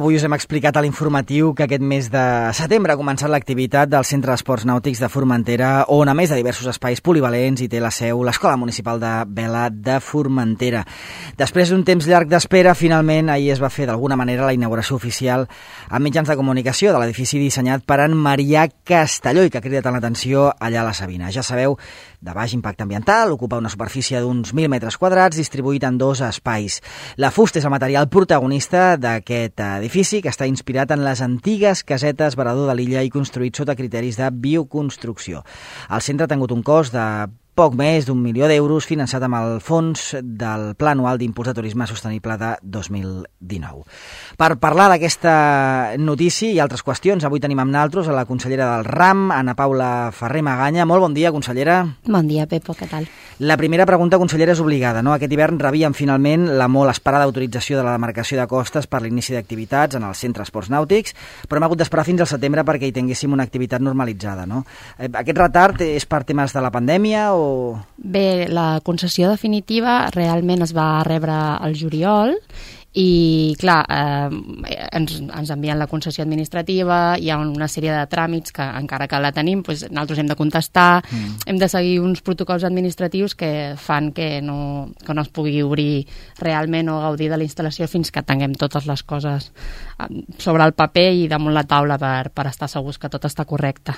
avui us hem explicat a l'informatiu que aquest mes de setembre ha començat l'activitat del Centre d'Esports Nàutics de Formentera, on a més de diversos espais polivalents hi té la seu l'Escola Municipal de Vela de Formentera. Després d'un temps llarg d'espera, finalment ahir es va fer d'alguna manera la inauguració oficial a mitjans de comunicació de l'edifici dissenyat per en Marià Castelló i que ha cridat l'atenció allà a la Sabina. Ja sabeu, de baix impacte ambiental, ocupa una superfície d'uns 1.000 metres quadrats distribuït en 2 espais. La fusta és el material protagonista d'aquest edifici que està inspirat en les antigues casetes Varador de l'Illa i construït sota criteris de bioconstrucció. El centre ha tingut un cost de poc més d'1 milió d'euros finançat amb el fons del Pla Anual d'Impuls de Turisme Sostenible de 2019. Per parlar d'aquesta notícia i altres qüestions, avui tenim amb naltros a la consellera del RAM, Ana Paula Ferrer Maganya. Molt bon dia, consellera. Bon dia, Pepo, què tal? La primera pregunta, consellera, és obligada, no? Aquest hivern rebíem finalment la molt esperada autorització de la demarcació de costes per l'inici d'activitats en el Centre d'Esports Nàutics, però hem hagut d'esperar fins al setembre perquè hi tinguéssim una activitat normalitzada, no? Aquest retard és per temes de la pandèmia o...? Bé, la concessió definitiva realment es va rebre al juliol i, clar, ens envien la concessió administrativa, hi ha una sèrie de tràmits que, encara que la tenim, doncs, nosaltres hem de contestar, hem de seguir uns protocols administratius que fan que no es pugui obrir realment o gaudir de la instal·lació fins que tinguem totes les coses sobre el paper i damunt la taula per estar segurs que tot està correcte.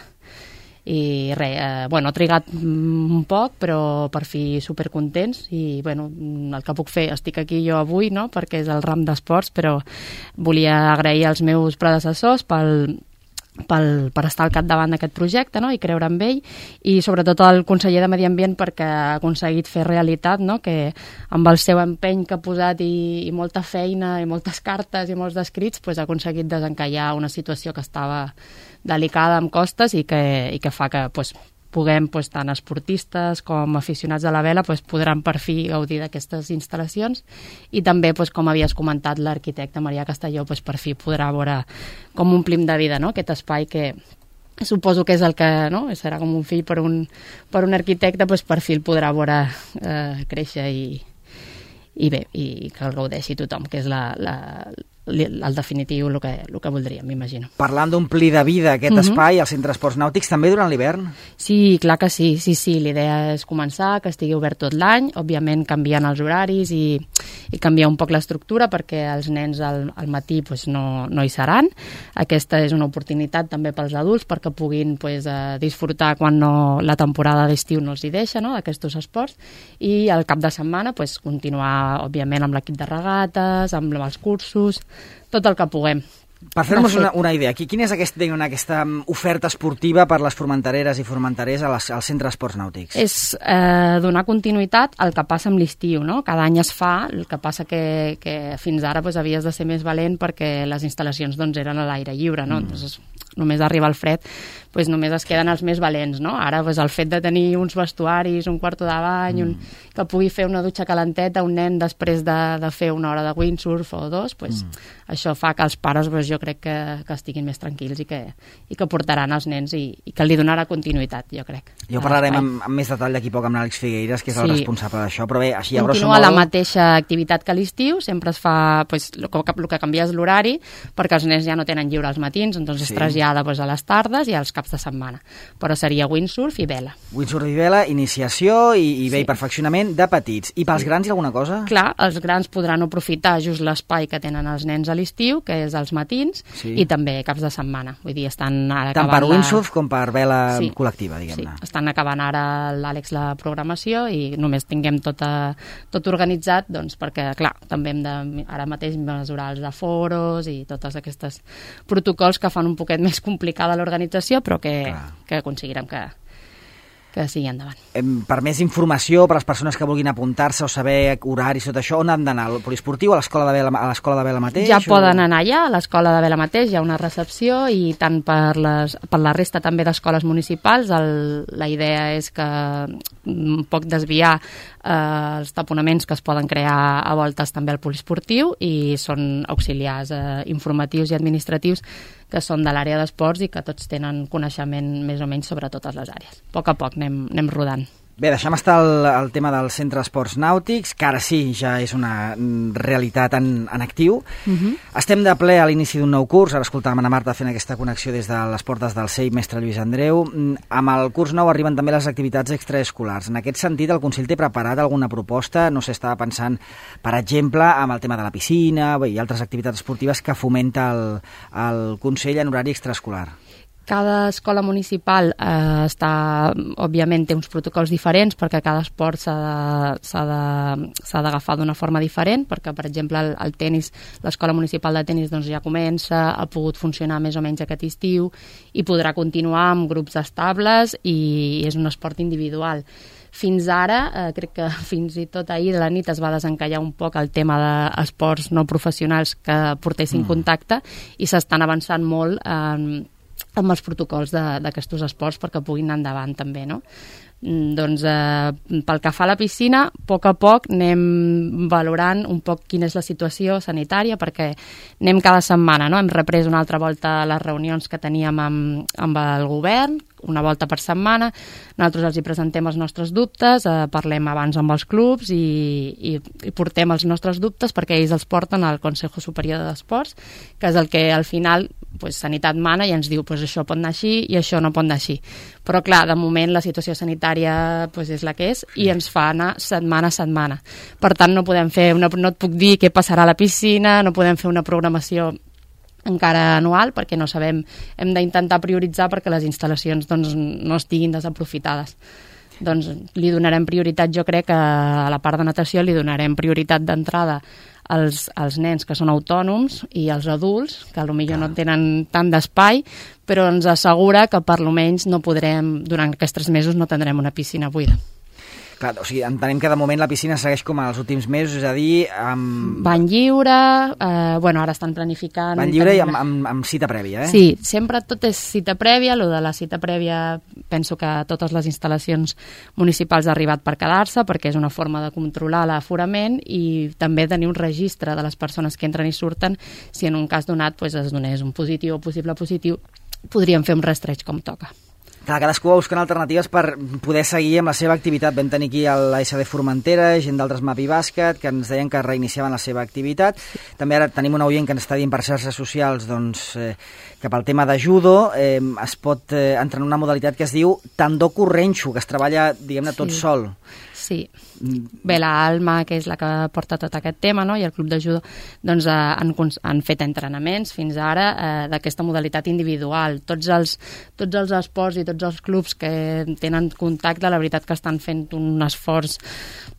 I res, ha trigat un poc, però per fi supercontents i el que puc fer, estic aquí jo avui, no?, perquè és el RAM d'esports, però volia agrair als meus predecessors per estar al capdavant d'aquest projecte, no?, i creure en ell, i sobretot al conseller de Medi Ambient perquè ha aconseguit fer realitat, no?, que amb el seu empeny que ha posat i molta feina i moltes cartes i molts escrits ha aconseguit desencallar una situació que estava delicada amb costes i que fa que puguem, tant esportistes com aficionats a la vela, podran per fi gaudir d'aquestes instal·lacions i també, com havies comentat, l'arquitecte Marià Castelló per fi podrà veure com omplim de vida, no?, aquest espai que suposo que és el que, no?, serà com un fill per un arquitecte, per fi el podrà veure créixer i bé, i que el gaudeixi tothom, que és el definitiu, el que voldríem, m'imagino. Parlant d'omplir de vida aquest espai, al Centre d'Esports Nàutics, també durant l'hivern? Sí, clar que sí. L'idea és començar, que estigui obert tot l'any, òbviament canviant els horaris i canviar un poc l'estructura perquè els nens al matí no hi seran. Aquesta és una oportunitat també pels adults perquè puguin disfrutar quan la temporada d'estiu no els hi deixa, no?, d'aquests esports, i al cap de setmana continuar, òbviament, amb l'equip de regates, amb els cursos, tot el que puguem. Per fer-nos una idea, quina és aquesta oferta esportiva per les formentereres i formenterers al Centre d'Esports Nàutics? És donar continuïtat al que passa amb l'estiu, no? Cada any es fa, el que passa que fins ara havies de ser més valent perquè les instal·lacions eren a l'aire lliure, no? Només arriba el fred, només es queden els més valents, no? Ara el fet de tenir uns vestuaris, un quarto de bany, que pugui fer una dutxa calenteta un nen després de fer una hora de windsurf o 2, això fa que els pares jo crec que estiguin més tranquils i que portaran els nens i que li donarà continuïtat, jo crec. Ja ho parlarem amb més detall d'aquí poc amb l'Àlex Figueiras, que és el responsable d'això, però bé, així a grosso modo... Continua la mateixa activitat que l'estiu, sempre es fa, el que canvia és l'horari, perquè els nens ja no tenen lliure als matins, doncs es trasllada a les tardes i als caps de setmana. Però seria windsurf i vela. Windsurf i vela, iniciació i bé, perfeccionament de petits. I pels grans hi ha alguna cosa? Clar, els grans podran aprofitar just l'espai que tenen els nens a l'estiu, que és als matins, i també caps de setmana. Vull dir, estan ara tant per windsurf com per vela col·lectiva, diguem-ne. Sí, estan acabant ara l'Àlex la programació i només tinguem tot organitzat, doncs perquè, clar, també hem de ara mateix mesurar els aforos i totes aquestes protocols que fan un poquet més complicada l'organització, però que aconseguirem que sigui endavant. Per més informació, per a les persones que vulguin apuntar-se o saber horaris, tot això, on han d'anar? Al poliesportiu, a l'escola de vela mateix? Ja poden anar allà, a l'escola de vela mateix, hi ha una recepció i tant per la resta també d'escoles municipals. La idea és que un poc desviar els taponaments que es poden crear a voltes també al poliesportiu i són auxiliars informatius i administratius que són de l'àrea d'esports i que tots tenen coneixement més o menys sobre totes les àrees. A poc anem rodant. Bé, deixem estar el tema del Centre d'Esports Nàutics, que ara sí, ja és una realitat en actiu. Estem de ple a l'inici d'un nou curs, ara escoltàvem Ana Marta fent aquesta connexió des de les portes del CEIP Mestre Lluís Andreu. Amb el curs nou arriben també les activitats extraescolars. En aquest sentit, el Consell té preparat alguna proposta? No sé, estava pensant, per exemple, amb el tema de la piscina i altres activitats esportives que fomenta el Consell en horari extraescolar. Cada escola municipal òbviament té uns protocols diferents perquè cada esport s'ha d'agafar d'una forma diferent, perquè per exemple el tenis, l'escola municipal de tenis doncs, ja comença, ha pogut funcionar més o menys aquest estiu i podrà continuar amb grups estables i és un esport individual. Fins ara, crec que fins i tot ahir de la nit es va desencallar un poc el tema d'esports no professionals que portessin contacte i s'estan avançant molt amb els protocols d'aquests esports perquè puguin anar endavant també, no? Doncs pel que fa a la piscina, a poc anem valorant un poc quina és la situació sanitària perquè anem cada setmana, no? Hem reprès una altra volta les reunions que teníem amb el govern, una volta per setmana, nosaltres els hi presentem els nostres dubtes, parlem abans amb els clubs i portem els nostres dubtes perquè ells els porten al Consejo Superior d'Esports, que és el que al final Sanitat mana i ens diu això pot anar així i això no pot anar així. Però clar, de moment la situació sanitària és la que és i ens fa anar setmana a setmana. Per tant, no et puc dir què passarà a la piscina, no podem fer una programació encara anual perquè no sabem, hem d'intentar prioritzar perquè les instal·lacions no estiguin desaprofitades. Doncs li donarem prioritat, jo crec que a la part de natació li donarem prioritat d'entrada als nens que són autònoms i als adults, que potser no tenen tant d'espai, però ens assegura que per almenys no podrem, durant aquests 3 mesos no tindrem una piscina buida. Clar, o sigui, entenem que de moment la piscina segueix com als últims mesos, és a dir... Bany lliure, ara estan planificant... Bany lliure i amb cita prèvia, Sí, sempre tot és cita prèvia, el de la cita prèvia penso que totes les instal·lacions municipals ha arribat per quedar-se, perquè és una forma de controlar l'aforament i també tenir un registre de les persones que entren i surten, si en un cas donat es donés un positiu o possible positiu, podríem fer un rastreig com toca. Clar, cadascú va buscant alternatives per poder seguir amb la seva activitat. Vam tenir aquí l'ASD Formentera, gent d'altres Mapi Bàsquet, que ens deien que reiniciaven la seva activitat. També ara tenim un oient que ens està dient per xarxes socials que pel tema de judo es pot entrar en una modalitat que es diu tandó correnxo, que es treballa, diguem-ne, tot sol. Sí. Bé, l'Alma, que és la que porta tot aquest tema, no? I el club de judo, doncs han fet entrenaments fins ara d'aquesta modalitat individual. Tots els esports i tots els clubs que tenen contacte, la veritat que estan fent un esforç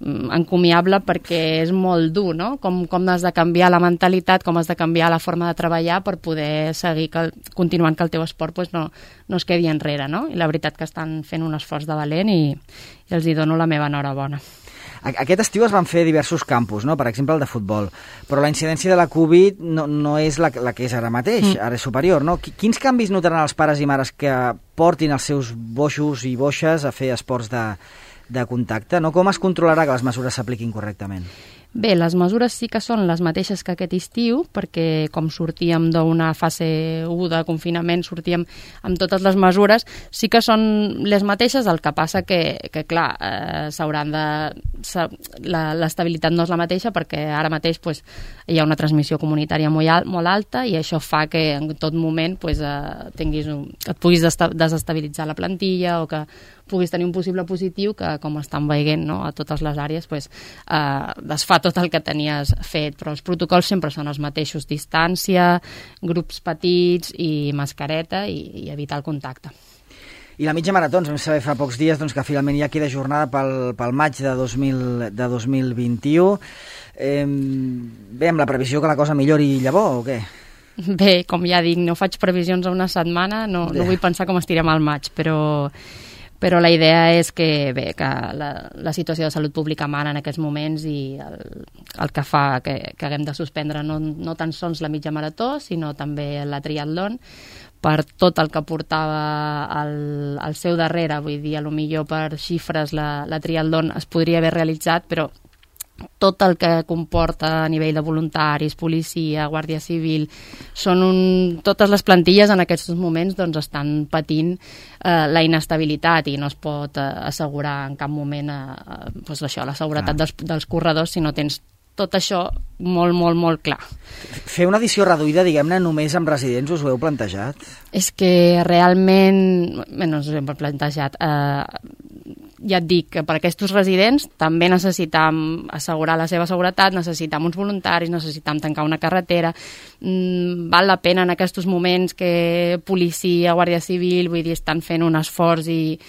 encomiable perquè és molt dur, no? Com has de canviar la mentalitat, com has de canviar la forma de treballar per poder seguir continuant que el teu esport no es quedi enrere, no? I la veritat que estan fent un esforç de valent i els hi dono la meva enhorabona. Aquest estiu es van fer diversos campus, no? Per exemple el de futbol, però la incidència de la Covid no és la que és ara mateix, ara és superior, no? Quins canvis notaran els pares i mares que portin els seus boixos i boixes a fer esports de contacte, no? Com es controlarà que les mesures s'apliquin correctament? Bé, les mesures sí que són les mateixes que aquest estiu, perquè com sortíem d'una fase 1 de confinament, sortíem amb totes les mesures, sí que són les mateixes, el que passa que clar, l'estabilitat no és la mateixa perquè ara mateix hi ha una transmissió comunitària molt alta i això fa que en tot moment et puguis desestabilitzar la plantilla o que puguis tenir un possible positiu que, com estan veient, no, a totes les àrees, desfà tot el que tenies fet, però els protocols sempre són els mateixos, distància, grups petits i mascareta i evitar el contacte. I la mitja marató, ens vam saber fa pocs dies que finalment ja queda jornada pel maig de 2021. Bé, amb la previsió que la cosa millori llavor o què? Bé, com ja dic, no faig previsions a una setmana, no vull pensar com estirem al maig, però la idea és que la situació de salut pública mana en aquests moments i el que fa que haguem de suspendre no tan sols la mitja marató, sinó també la triatlon, per tot el que portava al seu darrere, vull dir, potser per xifres la triatlon es podria haver realitzat, però tot el que comporta a nivell de voluntaris, policia, guàrdia civil, totes les plantilles en aquests moments doncs, estan patint la inestabilitat i no es pot assegurar en cap moment doncs això, la seguretat dels corredors si no tens tot això molt, molt, molt clar. Fer una edició reduïda, diguem-ne, només amb residents, us ho heu plantejat? És que realment, no us ho hem plantejat, ja et dic que per aquests residents també necessitam assegurar la seva seguretat, necessitam uns voluntaris, necessitam tancar una carretera, val la pena en aquests moments que policia, guàrdia civil, vull dir, estan fent un esforç i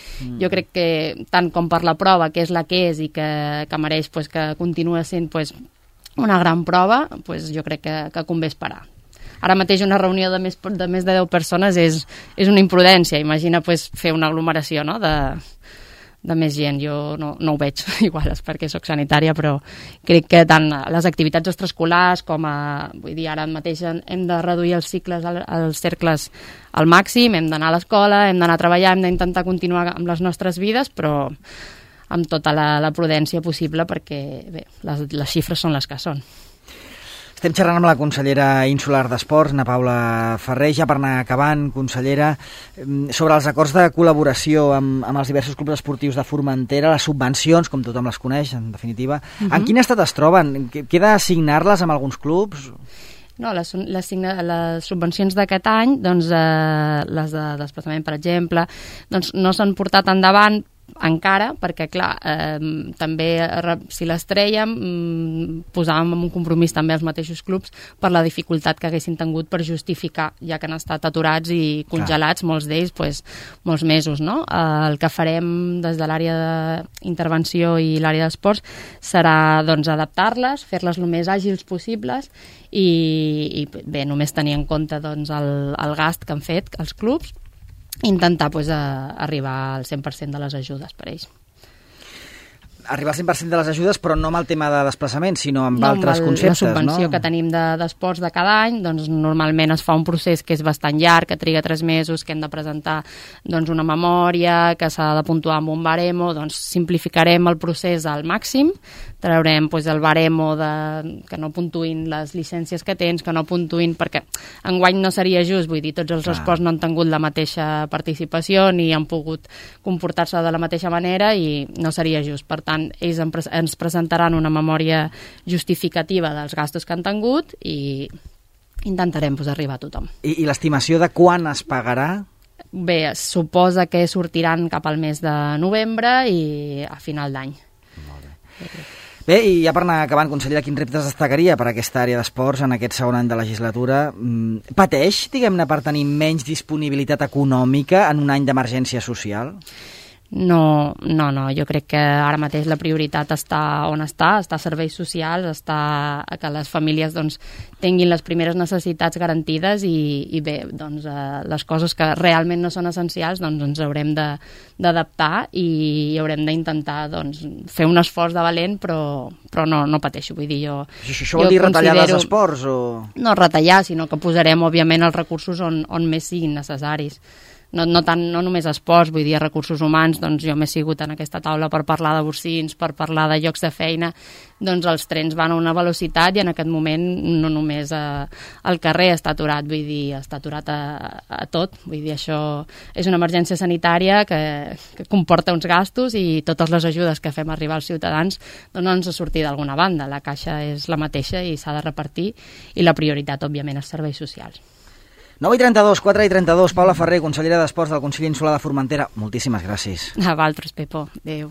jo crec que tant com per la prova, que és la que és i que mereix pues, que continua sent pues, una gran prova, pues, jo crec que convé esperar. Ara mateix una reunió de més de 10 persones és una imprudència, imagina pues, fer una aglomeració no? de més gent, jo no ho veig igual és perquè soc sanitària, però crec que tant les activitats extraescolars com vull dir, ara mateix hem de reduir els cercles al màxim, hem d'anar a l'escola, hem d'anar a treballar, hem d'intentar continuar amb les nostres vides, però amb tota la prudència possible perquè bé, les xifres són les que són. Estem xerrant amb la consellera insular d'Esports, Ana Paula Ferrer, ja per anar acabant, consellera, sobre els acords de col·laboració amb els diversos clubs esportius de Formentera, les subvencions, com tothom les coneix, en definitiva. En quin estat es troben? Queda assignar-les amb alguns clubs? No, les subvencions d'aquest any, doncs, les de desplaçament, per exemple, doncs, no s'han portat endavant encara, perquè clar, també si les trèiem posàvem en un compromís també els mateixos clubs per la dificultat que haguessin tingut per justificar, ja que han estat aturats i congelats, molts d'ells pues, molts mesos, no? El que farem des de l'àrea d'intervenció i l'àrea d'esports serà doncs, adaptar-les, fer-les el més àgils possibles i bé, només tenir en compte doncs, el gast que han fet els clubs, intentar pues, arribar al 100% de les ajudes per ells. Arribar al 100% de les ajudes, però no amb el tema de desplaçament, sinó amb altres conceptes, no? La subvenció que tenim d'esports de cada any, doncs normalment es fa un procés que és bastant llarg, que triga 3 mesos, que hem de presentar doncs, una memòria, que s'ha de puntuar amb un baremo, doncs simplificarem el procés al màxim, traurem doncs, el baremo que no puntuïn les llicències que tens, que no puntuïn, perquè enguany no seria just, vull dir, tots els esports no han tingut la mateixa participació ni han pogut comportar-se de la mateixa manera i no seria just. Per tant, ells ens presentaran una memòria justificativa dels gastos que han tingut i intentarem arribar a tothom. I l'estimació de quan es pagarà? Bé, es suposa que sortiran cap al mes de novembre i a final d'any. Molt bé. Bé, i ja per anar acabant, consellera, quins reptes destacaria per aquesta àrea d'esports en aquest segon any de legislatura? Pateix, diguem-ne, per tenir menys disponibilitat econòmica en un any d'emergència social? No, jo crec que ara mateix la prioritat està on està a serveis socials, està a que les famílies doncs, tinguin les primeres necessitats garantides i bé, doncs, les coses que realment no són essencials doncs, ens haurem d'adaptar i haurem d'intentar doncs, fer un esforç de valent, però no pateixo. Vull dir, això vol dir retallar els esports? O... No retallar, sinó que posarem, òbviament, els recursos on més siguin necessaris. No només esports, vull dir, recursos humans, doncs jo m'he sigut en aquesta taula per parlar de borsins, per parlar de llocs de feina, doncs els trens van a una velocitat i en aquest moment no només el carrer està aturat, vull dir, està aturat a tot, vull dir, això és una emergència sanitària que comporta uns gastos i totes les ajudes que fem arribar als ciutadans doncs no ens ha sortit d'alguna banda, la caixa és la mateixa i s'ha de repartir i la prioritat, òbviament, és serveis socials. 9:32, 4:32, Paula Ferrer, consellera d'Esports del Consell Insular de Formentera. Moltíssimes gràcies. A vosaltres, Pepo. Adéu.